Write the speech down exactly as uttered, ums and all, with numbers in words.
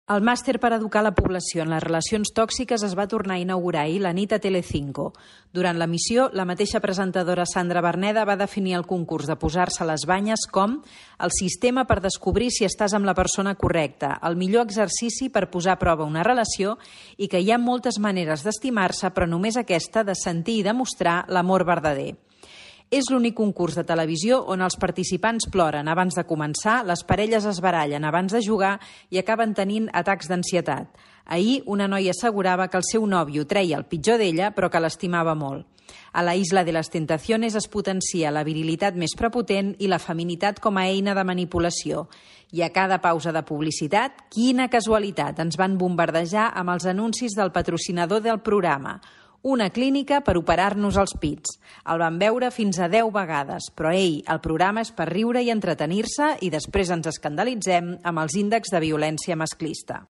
El màster per educar la població en les relacions tòxiques es va tornar a inaugurar ahir la nit a Telecinco. Durant l'emissió, la mateixa presentadora Sandra Berneda va definir el concurs de posar-se a les banyes com el sistema per descobrir si estàs amb la persona correcta, el millor exercici per posar a prova una relació i que hi ha moltes maneres d'estimar-se, però només aquesta de sentir i demostrar l'amor verdader. És l'únic concurs de televisió on els participants ploren abans de començar, les parelles es barallen abans de jugar i acaben tenint atacs d'ansietat. Ahir, una noia assegurava que el seu nòvio treia el pitjor d'ella, però que l'estimava molt. A la Isla de les Tentaciones es potencia la virilitat més prepotent i la feminitat com a eina de manipulació. I a cada pausa de publicitat, quina casualitat, ens van bombardejar amb els anuncis del patrocinador del programa. Una clínica per operar-nos els pits. El vam veure fins a deu vegades, però ei, el programa és per riure i entretenir-se i després ens escandalitzem amb els índexs de violència masclista.